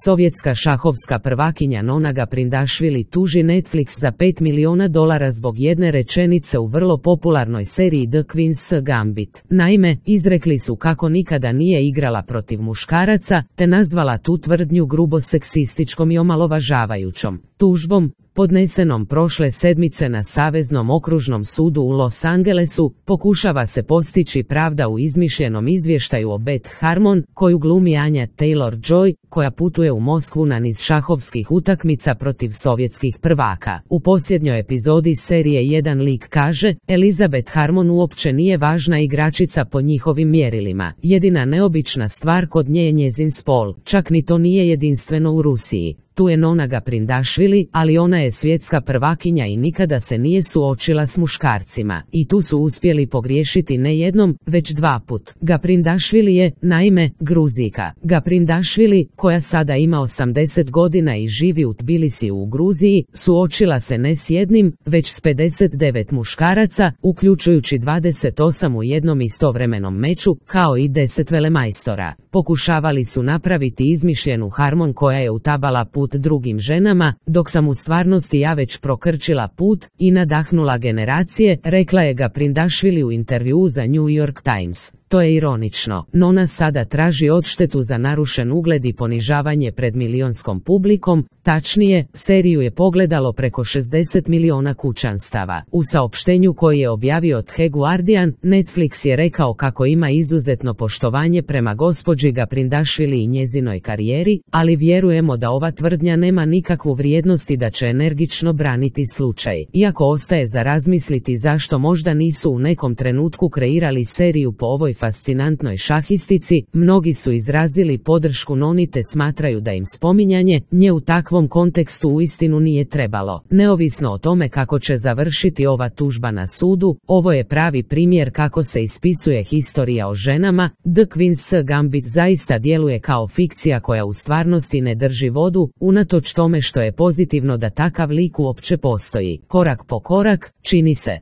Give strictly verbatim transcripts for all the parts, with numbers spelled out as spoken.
Sovjetska šahovska prvakinja Nona Gaprindašvili tuži Netflix za pet milijuna dolara zbog jedne rečenice u vrlo popularnoj seriji The Queen's Gambit. Naime, izrekli su kako nikada nije igrala protiv muškaraca, te nazvala tu tvrdnju grubo seksističkom i omalovažavajućom. Tužbom, podnesenom prošle sedmice na Saveznom okružnom sudu u Los Angelesu, pokušava se postići pravda u izmišljenom izvještaju o Beth Harmon, koju glumi Anja Taylor-Joy, koja putuje u Moskvu na niz šahovskih utakmica protiv sovjetskih prvaka. U posljednjoj epizodi serije jedan lik kaže, Elizabeth Harmon uopće nije važna igračica po njihovim mjerilima. Jedina neobična stvar kod nje je njezin spol, čak ni to nije jedinstveno u Rusiji. Tu je Nona Gaprindašvili, ali ona je svjetska prvakinja i nikada se nije suočila s muškarcima. I tu su uspjeli pogriješiti ne jednom, već dva put. Gaprindašvili je, naime, Gruzijka. Gaprindašvili, koja sada ima osamdeset godina i živi u Tbilisiju u Gruziji, suočila se ne s jednim, već s pedeset devet muškaraca, uključujući dvadeset osam u jednom istovremenom meču, kao i deset velemajstora. Pokušavali su napraviti izmišljenu Harmon koja je utabala put drugim ženama, dok sam u stvarnosti ja već prokrčila put i nadahnula generacije, rekla je Gaprindašvili u intervjuu za New York Times. To je ironično. Nona sada traži odštetu za narušen ugled i ponižavanje pred milionskom publikom, tačnije, seriju je pogledalo preko šezdeset milijuna kućanstava. U saopštenju koji je objavio The Guardian, Netflix je rekao kako ima izuzetno poštovanje prema gospođi Gaprindašvili i njezinoj karijeri, ali vjerujemo da ova tvrdnja nema nikakvu vrijednost i da će energično braniti slučaj. Iako ostaje za razmisliti zašto možda nisu u nekom trenutku kreirali seriju po ovoj fascinantnoj šahistici, mnogi su izrazili podršku Noni te smatraju da im spominjanje nje u takvom kontekstu uistinu nije trebalo. Neovisno o tome kako će završiti ova tužba na sudu, ovo je pravi primjer kako se ispisuje historija o ženama. The Queen's Gambit zaista djeluje kao fikcija koja u stvarnosti ne drži vodu, unatoč tome što je pozitivno da takav lik uopće postoji. Korak po korak, čini se.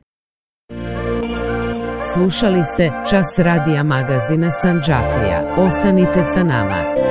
Slušali ste Čas radija magazina Sandžaklija. Ostanite sa nama.